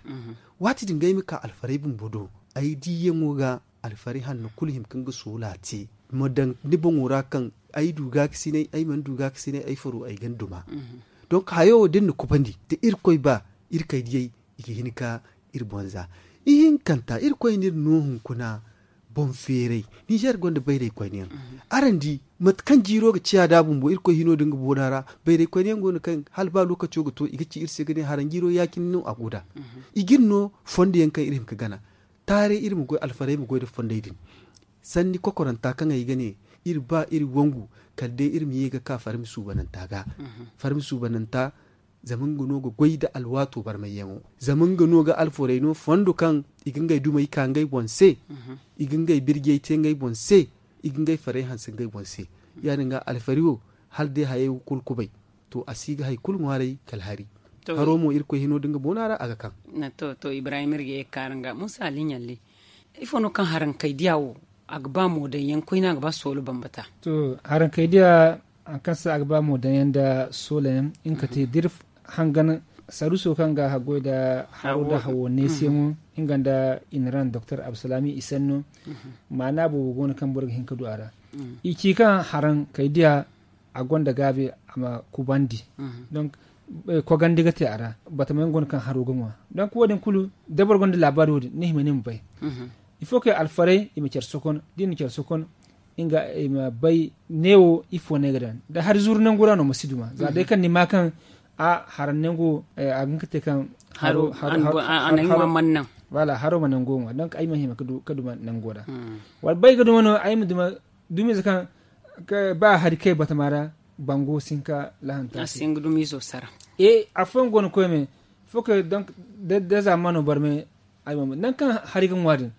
Waati din ga ay ma ka alfarey bumbo do, ay diiyaŋo ga alfarey hanno kulu hima kaŋ ga soola te, ma daŋ ni boŋo ra kaŋ ay du gaakasinay ay mana du gaakasinay ay faro ay ga ni duma. Donk hayo wo da iri na kubandi da irkoy ba, iri kaydiyey i ga hin ka iri boŋ za. Ihinkanta irkoy na iri no hunkuna boŋ feeray. Ninzeer gonda bayray koyne yaŋ. Araŋ di mate kaŋ jiiro ga ciya nd'a bumbo irkoy hino da nga boona ra. Bayray koyne yaŋ go no kaŋ hala ba lookaco ga to i ga ci iri se ga ne haraŋ jiiro ya- cine no a go nd'a. I ga iri no fondo yaŋ kaŋ iri hima ga gana. Taaray iri ma goy alfarey ma goy nda fondey din. Sanni kokoranta kaŋ ay ga ne iri ba iri wangu kala day iri ma ye ga ka farmi suubananta ga. Farmi suubananta zama nga no ga goy nda alwaato barmayyaŋo. Zama nga no ga alforey no fondo kaŋ i ga ngey dumey ka ngey boŋ se. I ga ngey birjey te ngey boŋ se. I ga ngey farey hanse ngey boŋ se. Ya- din ga alfari wo hala day hayey wo kulu kubay. To a si ga hari kulu ŋwaaray kala hari. Haro mo irkoy hino da nga boona ra a ga kaŋ. To ibrahim iri ga ye ga ka araŋ ga musa ali ɲalli. Ifo no kaŋ haraŋ kaydiya wo a ga ba mo daŋ yaŋ koyne a ga ba soolo bambata? To haraŋ kaydiya hari kaŋ se a ga ba mo daŋ yaŋ nda soolo yaŋ nga ga te da iri hangan saruuso kaŋ ga haggoy nda haro nda hawo neesiyaŋo nga nda i na raŋ doktor absalami i sanno. Maana boobo go no kaŋ boro ga hin ga du a ra. I ci kaŋ haraŋ kaydiya a gonda gaabi a ma kubandi. Donk kogandi ga te a ra batamayaŋ go no kaŋ haro ga ŋwa. Donk wo- din kulu da boro gonda laabaari wo- din ni hima ni ma bay. Il faut que alfarey i ma care sokon da i na care sokon nga i ma bay neewo ifo no ay ga daŋ da hari zuru nangu ra no ma si duma za day kaŋ ni ma kaŋ a haraŋ nangu a ga hin ga te kaŋ haro haro haro mana nango ŋwa donk ay ma hima ga duma nango ra. Wala bay ga duma no ay ma duma dumiize kaŋ ba hari kay batama ra bango si hin ka lahanta a si hin ga dumiizo sara. Afooyaŋ go no koy me fo kay donk da zaamano barme ay ma nangu kaŋ hari ga ŋwa din.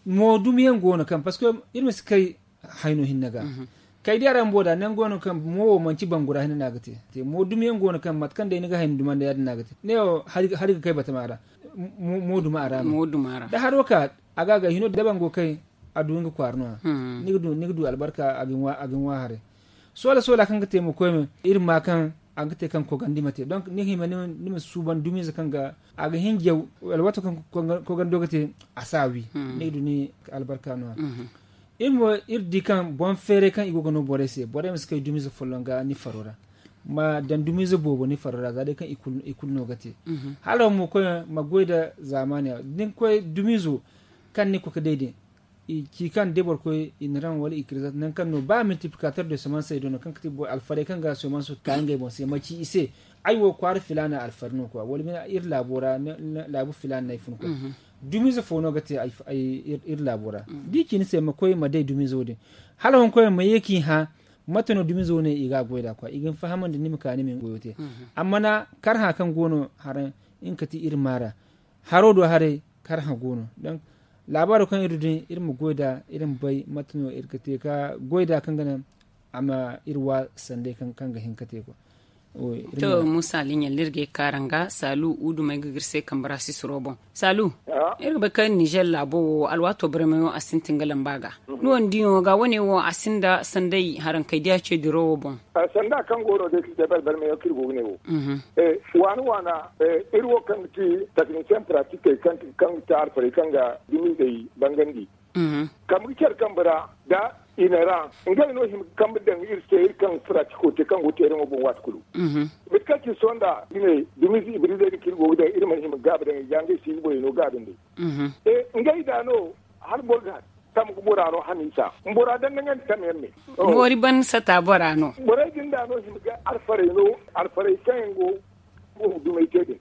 Mo dumiyaŋ go no kaŋ parceque iri ma si kay hayno hinne ga kay di a ra bumbo da nangu go no kaŋ mo wo manci bangu ra hinne no a ga te. Mo dumiyaŋ go no kaŋ mate kaŋ day ni ga hayno dumanda ya- din no a ga te ne wo hari ga kay batama ra. Mo duma a ra no da haro ka a ga a ga hino da bango kay a du nga kwaara no- ya ni ga du albarka a ga ni ŋwa haray. Soola soola kaŋ ga te mo koy me iri ma kaŋ a ga te kaŋ kogandi ma te donk ni ga hima ni ma suuban dumiize kaŋ ga a ga hin jaw wala waato kaŋ kogando ga te a si a wi ni ga du ni albarka no- ya. Iri mo iri di kaŋ boŋ feeray kaŋ i go ga no borey se borey ma si kay dumiize folloŋ ga ni faro ra. Ma daŋ dumiize boobo ni faro ra za day kaŋ i kulu no ga te. Hala mo koy ma goy nda zaamaani ra da ni koy dumiizo kaŋ ni koy ga day din i ci kaŋ da boro koy i na raŋ wala i kirizat nangu kaŋ no ba multiplicateur de semence ay do no kaŋ ga ti alfarey kaŋ ga semence ka ngey boŋ se ma ci i se ay wo kwaara filaana alfari no kwa wala iri laabo ra laabu filaana no ay fun kwa. Dumiize fo no ga te iri laabo ra da i ci ni se ma koy ma day dumiize wo- din hala hunkuna ma ye k'i hã. Mate no dumizo ne i ga a goy nd'a kwa i ga ni fahamandi ni ma ka ni ma ni goyo te. Amma na karhã kaŋ go no haraŋ nga ka ti iri maara haro do haray karhã go no. Donk laabaaro kaŋ iri du din iri ma goy nd'a iri ma bay mate no iri ga te ka goy nd'a kaŋ ga naŋ a ma iri wa sanday kaŋ ga hin ka te kwa. To musa liɲa da iri ga ay kaara nga saalu uudumey ga ga iri se kambe ra sisiro boŋ. Saalu, iri ga bay kaŋ ninzeer laabo wo alwaato barmayo a sintin ga lamba ga. Ni wo ni di no ga wane wo a sinda sanday harankey diya ce diro wo boŋ. Sanda kaŋ go no day kaŋ te balbalmayaŋ kaŋ iri go ga ne wo. Waana waana, iri wo kaŋ ga ti taknisiyaŋ piratikey kaŋ ga ti alfarey kaŋ ga dumizey bangandi. Kambe ga care kambe ra nda i na ra ngey no hima ga kambe daŋ iri se iri kaŋ ga piratiko te kaŋ go teeraŋo boŋ waati kulu. Mate kaŋ ci sohõ nda i ne dumiize ibriizey din kaŋ iri go ga daŋ iri mana hima ga gaabi daŋ i ga ngey siibi borey no gaabi nd'ey. Ngey da no hala boro ga tamgu bora no hamiisa bora daŋ daŋandi tamyaŋ me. Moori ban sata bora no. Borey din da no hima ga alfarey no alfarey kaŋ yaŋ go dumey te din.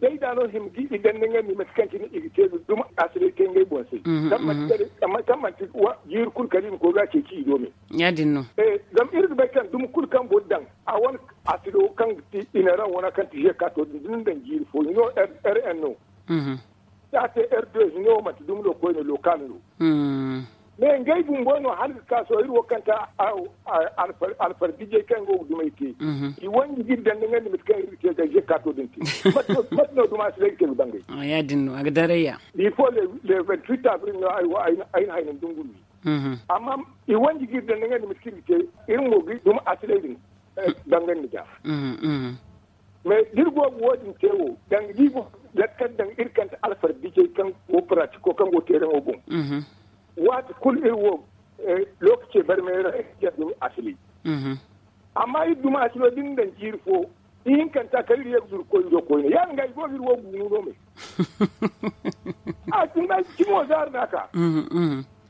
Day da no hima ga i daŋ daŋandi mate kaŋ cine i ga te duma asilay te ngey boŋ se. Kaŋ manti jiiri kulu kala i ma koy ga a ceeci i do me. Ya- din no. Zama iri ga bay kaŋ duma kulu kaŋ boro daŋ a wane asilo kaŋ ga ti i na raŋ wana kaŋ ti zeka to din da ni daŋ jiiri fo hino r n no. Da a te r deux hino manti dumi no koyne lokal no. Mais ngey bumbo no hala ga ka sohõ iri wo kaŋ ta alfarbijey kaŋ go ga dumey te. I wanji ga iri daŋ daŋandi mate kaŋ iri ga te ga zeka to din te. Mate no duma si day ga te ga bangay. Ya- din no a ga daray ya. Bifo le vingt-huit avril no ay na hayna dunguri. Amma i wanji ga iri daŋ daŋandi mate kaŋ iri ga te iri mo ga duma asilay din. Bangandi ga. Mais da iri go ga wo- din te wo danga da iri go ga lakkal daŋ iri kande alfarbijey kaŋ go paratiko kaŋ go teeraŋo boŋ. Waati kulu iri wo lokace barmay ra iri ga dumi asili. Amma iri dumi asilo da ni daŋ jiiri fo ihinkanta kala iri ye ga zuru koy iri do koyne ya- din ga i go ga iri wo guunu no me. A tunda cimo zaari no a ka.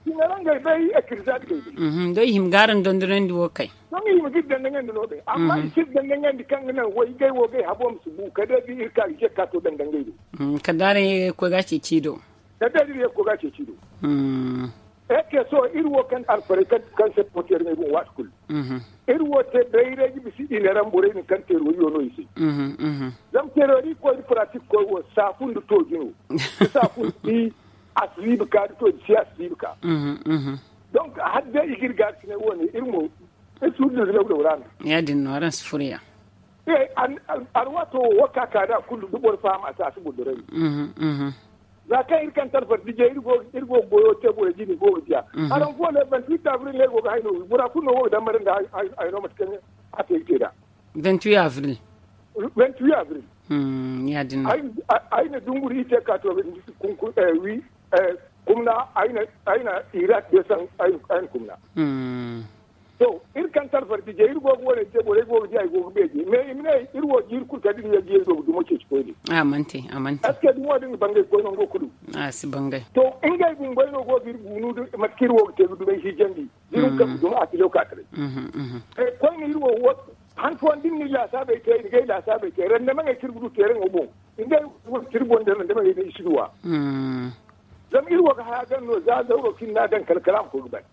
Cine ra ngey bay ekirizaati gay day. Doy hima ga araŋ dondonandi wo kay. Sohõ i ma ga iri daŋ daŋandi no day amma i si iri daŋ daŋandi kaŋ ga naŋ way gay wo gay habo ma si bu kala day da iri ka ga jekka to daŋ daŋ gay do. Kala day araŋ ye ga koy ga a ceeci do. Kala day da iri ye ga koy ga a ceeci do. Eke sohõ iri wo kaŋ alfarey kaŋ se pooti yar ŋey boŋ waati kulu. Iri wo te bayray ga bisa i ne ra borey din kaŋ teeroriyo no i se. Zama teerori koy da paratik koy wo saafu nda tooji no. Da saafu nda bi a si ziibi ka da tooji si a si ziibi ka. Donk hala day i ga iri gaari cine wo- ne iri mo iri si wurdi nda lawlaw ra no. Ya- din no araŋ si furo ya. Alwaato wo ka ka da kulu da boro faham a si a si boro doray. Za kaŋ iri kaŋ talfar dije iri go ga goyo te borey jine go ga diya. Araŋ fo ne banti iri taabiri ne go ga hay no bora kulu no go ga dambara nda hay no mate kaŋ a te iri te da. Vingt-huit avril. Vingt-huit avril. Ya- din no. Ay na dunguri iri te ka to wi kumna ay na irak desan ay na kumna. To iri kaŋ talfar dije iri go ga wane te borey go ga diya i go ga beeje mais i ma ne iri wo jiiri kulu kala iri ye ga iri go ga dumo ceeci koyne. A mante a mante. Est ce que dumo din ga bangay koy nango kulu? A si bangay. To ngey bumbey no go ga iri guunu mate kaŋ iri wo ga te ga dumey hijandi da iri ga kaŋ ga duma a kilo ka taray. Koyne iri wo han fooyaŋ da iri na iri laasaabey te i na gay laasaabey te randamaŋey kaŋ iri ga du teeraŋo boŋ ngey wo ga iri boŋ da randamaŋey da i si duw'a. Zama iri wo ga haya daŋ no za zauro kaŋ iri n'a daŋ kala kala a ma koy ga ban.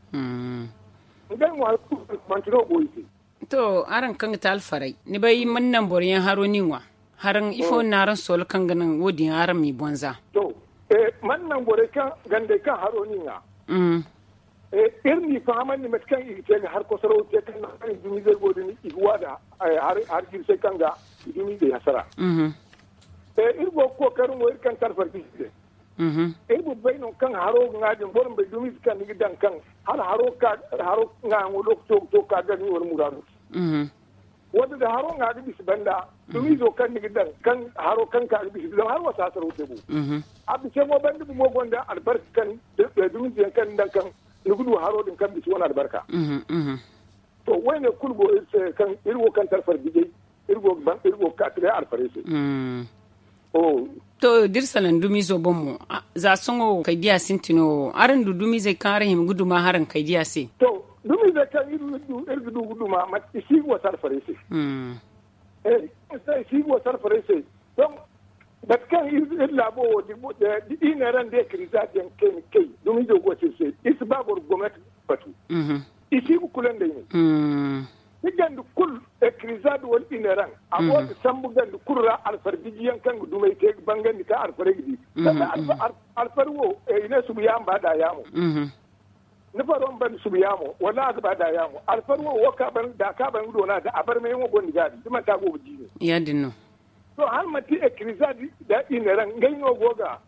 Ngey mo hari kulu manti no go i se. To araŋ kaŋ ga te alfarey ni bay mana naŋ boro yaŋ haro ni ŋwa haraŋ ifo no araŋ soola kaŋ ga naŋ wo- din araŋ m'i bonza? To mana naŋ borey kaŋ gandey kaŋ haro ni ŋwa. Iri n'i fahamandi mate kaŋ i ga te ga hari kosoro te kaŋ naŋ kaŋ i dumizey go din i ga wa da hari jirsey kaŋ ga i dumizey hasara. Iri go ga kookari mo iri kaŋ talfar ga i se. Iri ma bay no kaŋ haro ga ŋwa din boro ma bay dumiize kaŋ ni ga daŋ kaŋ hala haro ŋwaayaŋo lokaco ga to ga ka gar ni wala muraadu. Wala da haro ŋwa ga bisa banda dumiizo kaŋ ni ga daŋ kaŋ haro kaŋ ka ga bisa zama haro wa si hasaro te bo. A bisa mo banda bumo gonda albarka kaŋ dumiize yaŋ kaŋ ni daŋ kaŋ ni ga du haro din kaŋ bisa wane albarka. To wayne kulu go iri se kaŋ iri wo kaŋ talfar bijay iri go ga kaatira alfarey se. To da iri salaŋ dumiizo boŋ mo za sohõ kaydiya sintina wo araŋ du dumiizey kaŋ araŋ hima ga duma haraŋ kaydiya se? To dumiizey kaŋ iri ga du ga duma i si ga wasa alfarey se. I si ga wasa alfarey se. Donk mate kaŋ iri laabo wo da i neera nda ekirizaati yaŋ kayna kay dumiizo go se iri se iri si ba boro gomnati batu. I si ga kula nd'ay ne. Ni ganda kulu, ekirizaad wala inaraŋ, a go ga sambu ganda kulu ra alfar bijiyaŋ kaŋ ga dumey te ga bangandi kaŋ alfarey ga di. Sanda alfar wo i ne subu yaamo ba da yaamo. Ni faro ma banda subu yaamo wala a ga ba da yaamo alfar wo wo ka ban da ka ban ga doona ga a barmayaŋo gonda ga a di da manti a go ga jiine. Ya- din no. To hala manti ekirizaad da inaraŋ ngey no go ga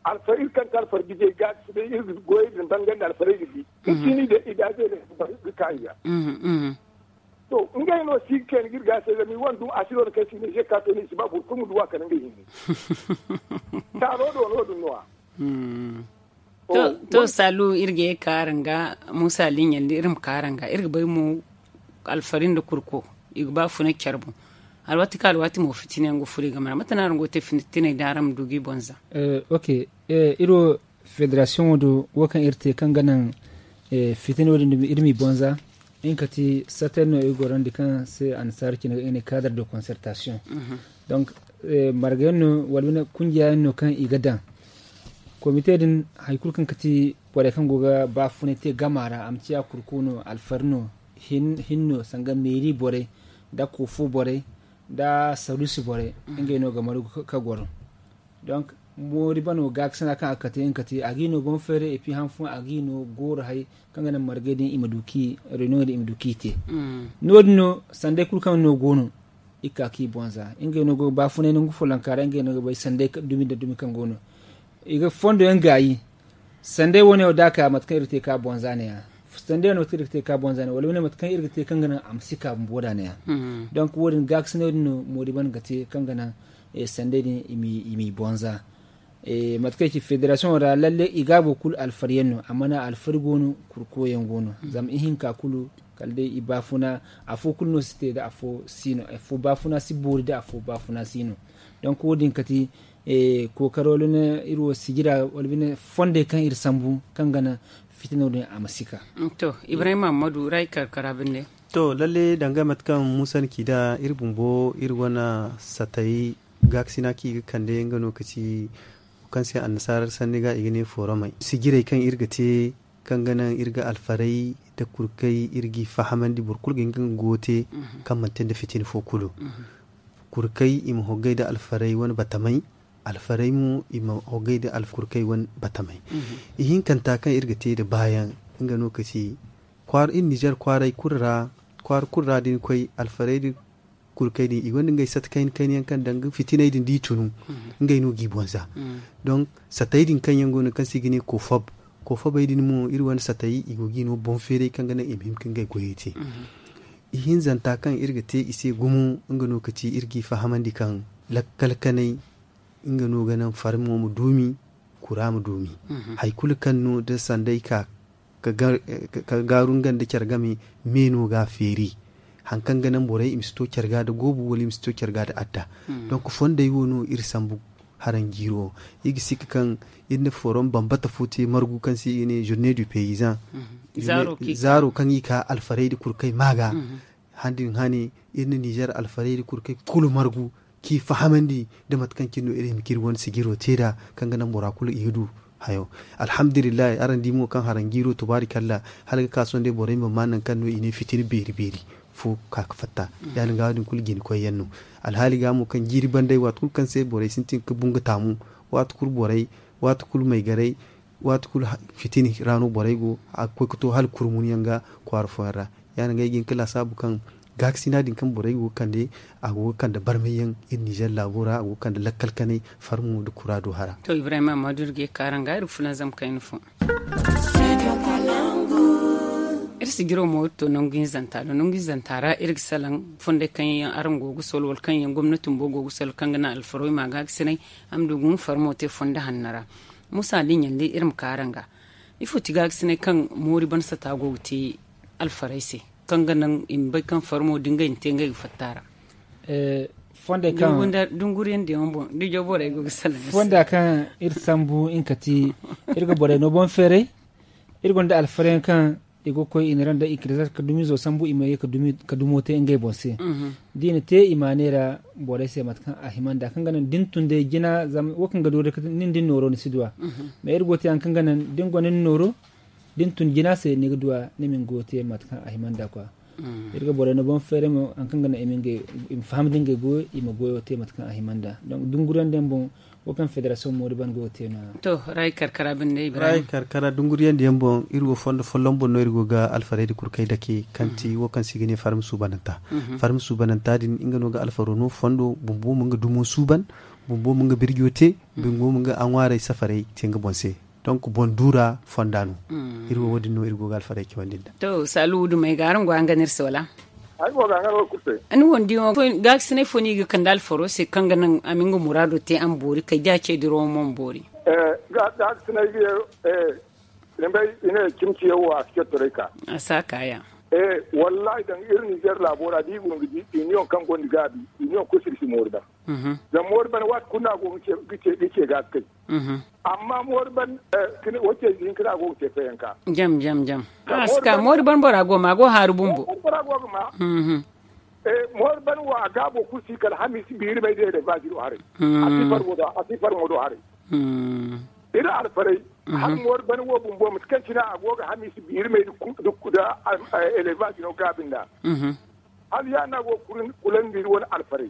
alfar iri kaŋ ti alfar bijey ga si bay iri ga goyey din bangandi alfarey ga di. Kacini da idaaze ne ga ka i ga. To ngey no si ga kayna ga iri ga se zama i wane dum a si no da kaŋ si ne ze ka to ne i si ba boro kulu ma du a kala ngey hinne. Taaro do no- din no- ya. To saalu iri ga ye ka araŋ ga muusa liiɲandi iri ma ka araŋ ga iri ga bay mo. Alfari nda kurko i ga ba funa care boŋ. Alwaati kaŋ alwaati mo fitina yaŋ ga furo i game ra mate no araŋ go ga te fitiney da araŋ ma du ga i boŋ za. Ok. Iri wo federasiyoŋo do wo kaŋ iri te kaŋ ga naŋ fitina wo- din dumi iri m'i boŋ za. Nga ka ti sater no iri gorandi kaŋ se annasaara cine ga i ne kaadar de konsertasiyoŋ. Donk marga yaŋ no wala bine kunjiya yaŋ no kaŋ i ga daŋ. Komite din hari kulu kaŋ ga ti borey kaŋ go ga baafunay te gama ra a ma ciya kurku no alfari no, hinno sanga meeri borey, nda koofo borey, nda saruusi borey. Ngey no ga margu ka goro. Donk moori bano gaakasina kaŋ a ga kate nga kate a ga i no boŋ feeray epi han fooyaŋ a ga i no gooro hay kaŋ ga naŋ margey din i ma du k'i reno din i ma du k'i te. No- din no sanday kulu kaŋ no go no i ga ka k'i boŋ za ngey no go ga baafunay nangu follonka ra ngey no ga bay sanday dumi nda dumi kaŋ go no. I ga fondo yaŋ gaayi. Sanday wane wo da a ka mate kaŋ iri ga te ka boŋ za ne- ya. Sanday wane mate kaŋ iri ga te ka boŋ za ne- ya wala wane mate kaŋ iri ga te kaŋ ga naŋ a ma si ka bumbo da ne- ya. Donk wo- din gaakasinay din no moori bano ga te kaŋ ga naŋ sanday din i m'i boŋ za. Mate kaŋ i ci federasiyoŋo ra lalle i gaabo kulu alfari yaŋ no amma na alfari go no. Kurko yaŋ go no zama ihinka kulu kala day i baafuna. Afo kulu no si te da afo si no afo baafuna si boori da afo baafuna si no. Donk wo- din kati kookaro luna iri wo sijira wala bine fondey kaŋ iri sambu kaŋ ga naŋ fitino din a ma si ka. To ibrahim mahammadu ra i karkara binde. To lalle danga mate kaŋ muusa na ci nd'a iri bumbo iri wane satay gaakasina kaŋ i ga kande nga no ka ci kaŋ se annasaara sanni ga i ga ne fooromey sijirey kaŋ iri ga te kaŋ ga naŋ iri ga alfarey nda kurkey iri g'i fahamandi boro kulu ga hin ga nga goyo te kaŋ manti nda fitina fo kulu. Kurkey i ma hoggay nda alfarey wane batamey. Alfarey mo i ma hoggay nda kurkey wane batamey. Ihinkanta kaŋ iri ga te nda baayaŋ nga no ka ci kwaara iri nizer kwaaray kulu ra kwaara kulu ra da ni koy alfarey nda kurkey din i gonda ngey sata kayna kayna yaŋ kaŋ danga fitiney din da i tunu ngey no g'i boŋ za. Donk satey din kaŋ yaŋ go no kaŋ se i ga ne koofab koofabey din mo iri wane satey i go g'i no boŋ feeray kaŋ ga naŋ i ma hin ka ngey goyey te. Ihinzanta kaŋ iri ga te i se gumo nga no ka ci iri g'i fahamandi kaŋ lakkal kanay nga no ga naŋ farmo ma duumi kura ma duumi. Hari kulu kaŋ no da sanday ka ka gaaru nga nda care game me no ga a feeri. Hari kaŋ ga naŋ borey i ma si to care ga nda goobu wala i ma si to care ga nda adda. Donk fondey wo no iri sambu haranjiiro. Iri ga sikka kaŋ iri na forom bambata fo te margu kaŋ se i ga ne journée du paysan. Zaaro kaŋ i ka alfarey nda kurkey ma ga. Handi din hane iri na nizer alfarey nda kurkey kulu margu k'i fahamandi nda mate kaŋ cine no iri hima k'iri wane sijiro te nd'a kaŋ ga naŋ bora kulu i ga du hayo. Alhamdulillahi araŋ di mo kaŋ haranjiiro tubaari kalla hala ga ka sohõ day borey ma ma nangu kaŋ no i ne fitina beeri beeri fo ka ga fatta. Ya- din ga wo- din kulu jina koy yaŋ no. Alhaali ga mo kaŋ jiiri banday waati kulu kaŋ se borey sintin ga bungu taamu waati kulu borey waati kulu maygarey waati kulu fitina ra no borey go a ga koy ga to hala kurmun yaŋ ga kwaara fooyaŋ ra. Ya- din ga ay ga hin ga laasaabu kaŋ gaakasina din kaŋ borey go ga kande a go ga kande barmay yaŋ iri nizer laabo ra a go ga kande lakkal kanay farmo nda kura do hara. To ibrahim amma da iri ga ye ga ka araŋ ga iri ga fulanzam kayna fo. Iri sijiro mo iri to nangu hinzanta do nangu hinzanta ra iri ga salaŋ fonday kaŋ yaŋ araŋ go ga solo wala kaŋ yaŋ gomnati bumbo go ga solo kaŋ ga naŋ alfarey ma gaakasinay a ma du ga nga farmo te fondo hanno ra. Muusa da i ɲandi iri ma ka araŋ ga ifo ti gaakasinay kaŋ moori ban sata go ga te alfarey se kaŋ ga naŋ i ma bay kaŋ farmo da ngey na te ngey ga fatta a ra. Fonda kaŋ dunguriyaŋ diyaŋo boŋ da i jaw borey go ga salaŋ fonda kaŋ iri sambu nga ka ti iri ga borey no boŋ feeray. Iri gonda alfaryaŋ kaŋ i go ga koy i na ra nda i kirizar ka dumizo sambu i ma ye ka dumo te ngey boŋ se. Da i na te i ma a neera borey se mate kaŋ a hima nd'a kaŋ ga naŋ da ni tun day jina zama wo kaŋ ga doori nin da ni nooro ni si duw'a. Mais iri go ga te hari kaŋ ga naŋ da ni gonda ni nooro da ni tun jina se ni ga duwa ni ma ni goyo te mate kaŋ a hima nd'a kwa. Iri ga borey no boŋ feeray mo hari kaŋ ga naŋ i ma faham da ngey goyo i ma goyo te mate kaŋ a hima nd'a. Dunguriyaŋ diyaŋ boŋ wo kaŋ federasiyoŋ moori ban go ga te no- ya. To rayi karkara binde ibrahim. Rayi karkara dunguriyaŋ diyaŋ boŋ iri wo fondo folloŋ boŋ no iri go ga alfarey da kurkey dake kaŋ ti wo kaŋ se i ga ne farmi suubananta. Farmi suubananta din nga no ga alfaro no fondo bumbo ma nga dumo suuban, bumbo ma nga birjo te, bumbo ma nga aŋwaarey safarey te nga boŋ se. Donk boŋ duura fonda no. Iri wo wo- din no iri go ga alfarey cawandi nd'a. To saalu dumey ga araŋ go a nga no iri se wala? Ay go ga a nga no iri kulu se. Ni wo ni di wo gaakasinay fo no i ga kande alfaro se kaŋ ga naŋ a ma nga muraado te a ma boori kay da a ce dirawo mo ma boori. Gaakasinay ga ye. Ni bay i ne cimciyaŋ wo a si cettoray ka. A si a kaaya. Wallaahi daŋ iri ninzeer laabo ra da i go ga di iniyoŋ kaŋ gonda gaabi iniyoŋ kulu si iri si moori daŋ. Zama moori bana waati kulu no a go ga ce ga a si kay. Amma moori ban wace ize hinka no a go ga te fayanka. Jam jam jam. A si ka moori ban bora go ma a go haaru bumbo. Moori ban wo a gaabo kulu si kala hamiisi biiri may day da baaji do haray. A si far mo do a si far mo do haray. Iri alfaray. Hala moori ban wo bumbo mate kaŋ cine a go ga hamiisi biiri may da elevaaji no gaabi nd'a. Hala ya- din a go ga kulandi iri wane alfaray.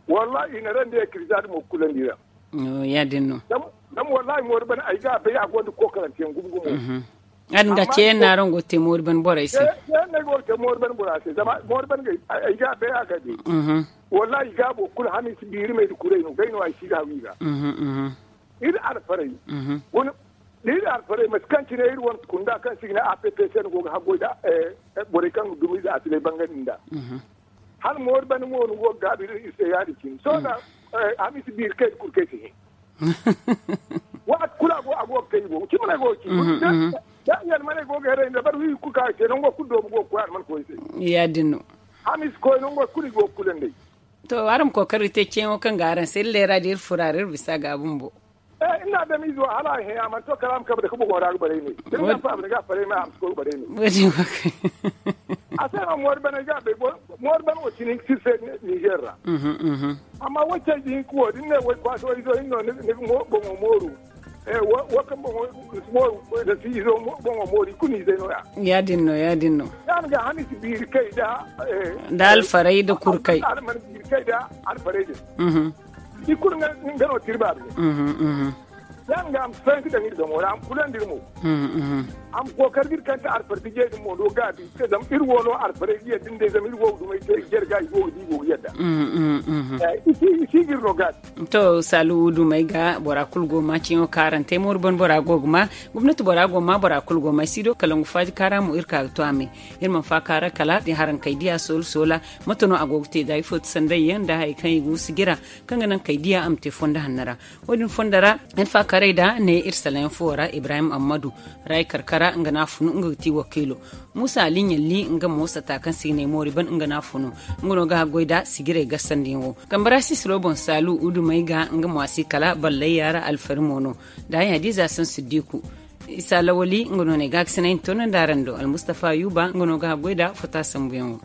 Wallaahi i na rande ya kirizaadi mo ga kulandi iri ra. Ya- din no. Zama wallaahi moori bane ay ga a bay a gonda kookaranteyaŋ gumo gumo. Ya- din ga ceeyaŋ no araŋ go ga te moori bane borey se. Ceeyaŋ no ay go ga te moori bane bora se zama moori bane ay ga a bay a ga a bay. Wallaahi i gaabo kulu hamiisi biiri may da kuray no gay no ay si ga hawi ga. Iri alfaray. Iri alfaray mate kaŋ cine iri wane kunda kaŋ se i ga ne a p p c no go ga haggoy nda borey kaŋ ga dumi nda a silay bangandi nda. Hala moori bane mo no go ga gaabi iri se ya- din cine sohõ da hamiisi biiri kay da kulu kay si hin. Waati kulu a go ga kay i go ga ci mana ay go ga ci. Da i almaney go ga heray nda bari wi kulu kaŋ a se nango kulu doobu go ga koy alman koy se. Ya- din no. Hamiisi koy nango kulu i go ga kulanday. To araŋ ma kookari te ceeyaŋo kaŋ ga araŋ se iri leera da iri fura ra iri bisa ga a bumbo. Iri na adamiize wo hala a hẽ a mana to kala a ma kabe dake boŋo ra ga baray ne. Da ni ga a faaba ni ga a faray ma a ma si koy ga baray ne. A se no moori baney ga a bay moori bane wo cine hinka si iri se nizeer ra. Amma wacce ize hinka wo da ni ne way kwaaso izo hinne no ni ga boŋo mooru. Wo kaŋ boŋo mooru da si izo boŋo mooru i kulu ni izey no- ya. Ya- din no ya- din no. Ya- din ga hamiisi biiri kay nda alfaray nda kurkay. Alman biiri kay nda alfaray din. I kulu nga no tirba abine. Ya- din ga a ma si fayanka daŋ iri zamo ra a ma kulandi iri mo. A ma kookari ga iri kaŋ ti alfar dijey din mo do gaabi. Zama iri wo no alfaray ga yadda nda zama iri wo ga dumey te i jare ga i go ga di i go ga yadda. I si ga iri no gaabi. To saalu dumey ga bora kulu go ga ma ciyaŋo kaarante mooru ban bora go ga ma. Gomnati bora go ga ma bora kulu go ga ma ay si do kala ngu faaji kaara mo iri ka ga to a me. Iri mana faakaara kala da haraŋ kay diya soola soola. Mate no a go ga te da ifo ti sanday yaŋ nda hari kaŋ i ga wusu jira kaŋ ga naŋ kay diya a ma te fondo hanno ra. Wo- din fondo ra iri faakaaray da ne iri salayaŋ fo ra ibrahim ammadu. Ray karkara nga no a funu nga ga ti wakiilo. Muusa ali ɲalli nga mo sata kaŋ se i ga ne moori ban nga no a funu. Nga no ga haggoy da sijiray gasandiyaŋo. Kambara sisiro boŋ saalu udumey ga nga mo a si kala ballay yaara alfari mo no. Da ay hadiza san siddiku. Isa lawali nga no ne ga a ga sinay ni toonandi araŋ do almustafa yuba nga no ga haggoy da fota sambuyaŋo.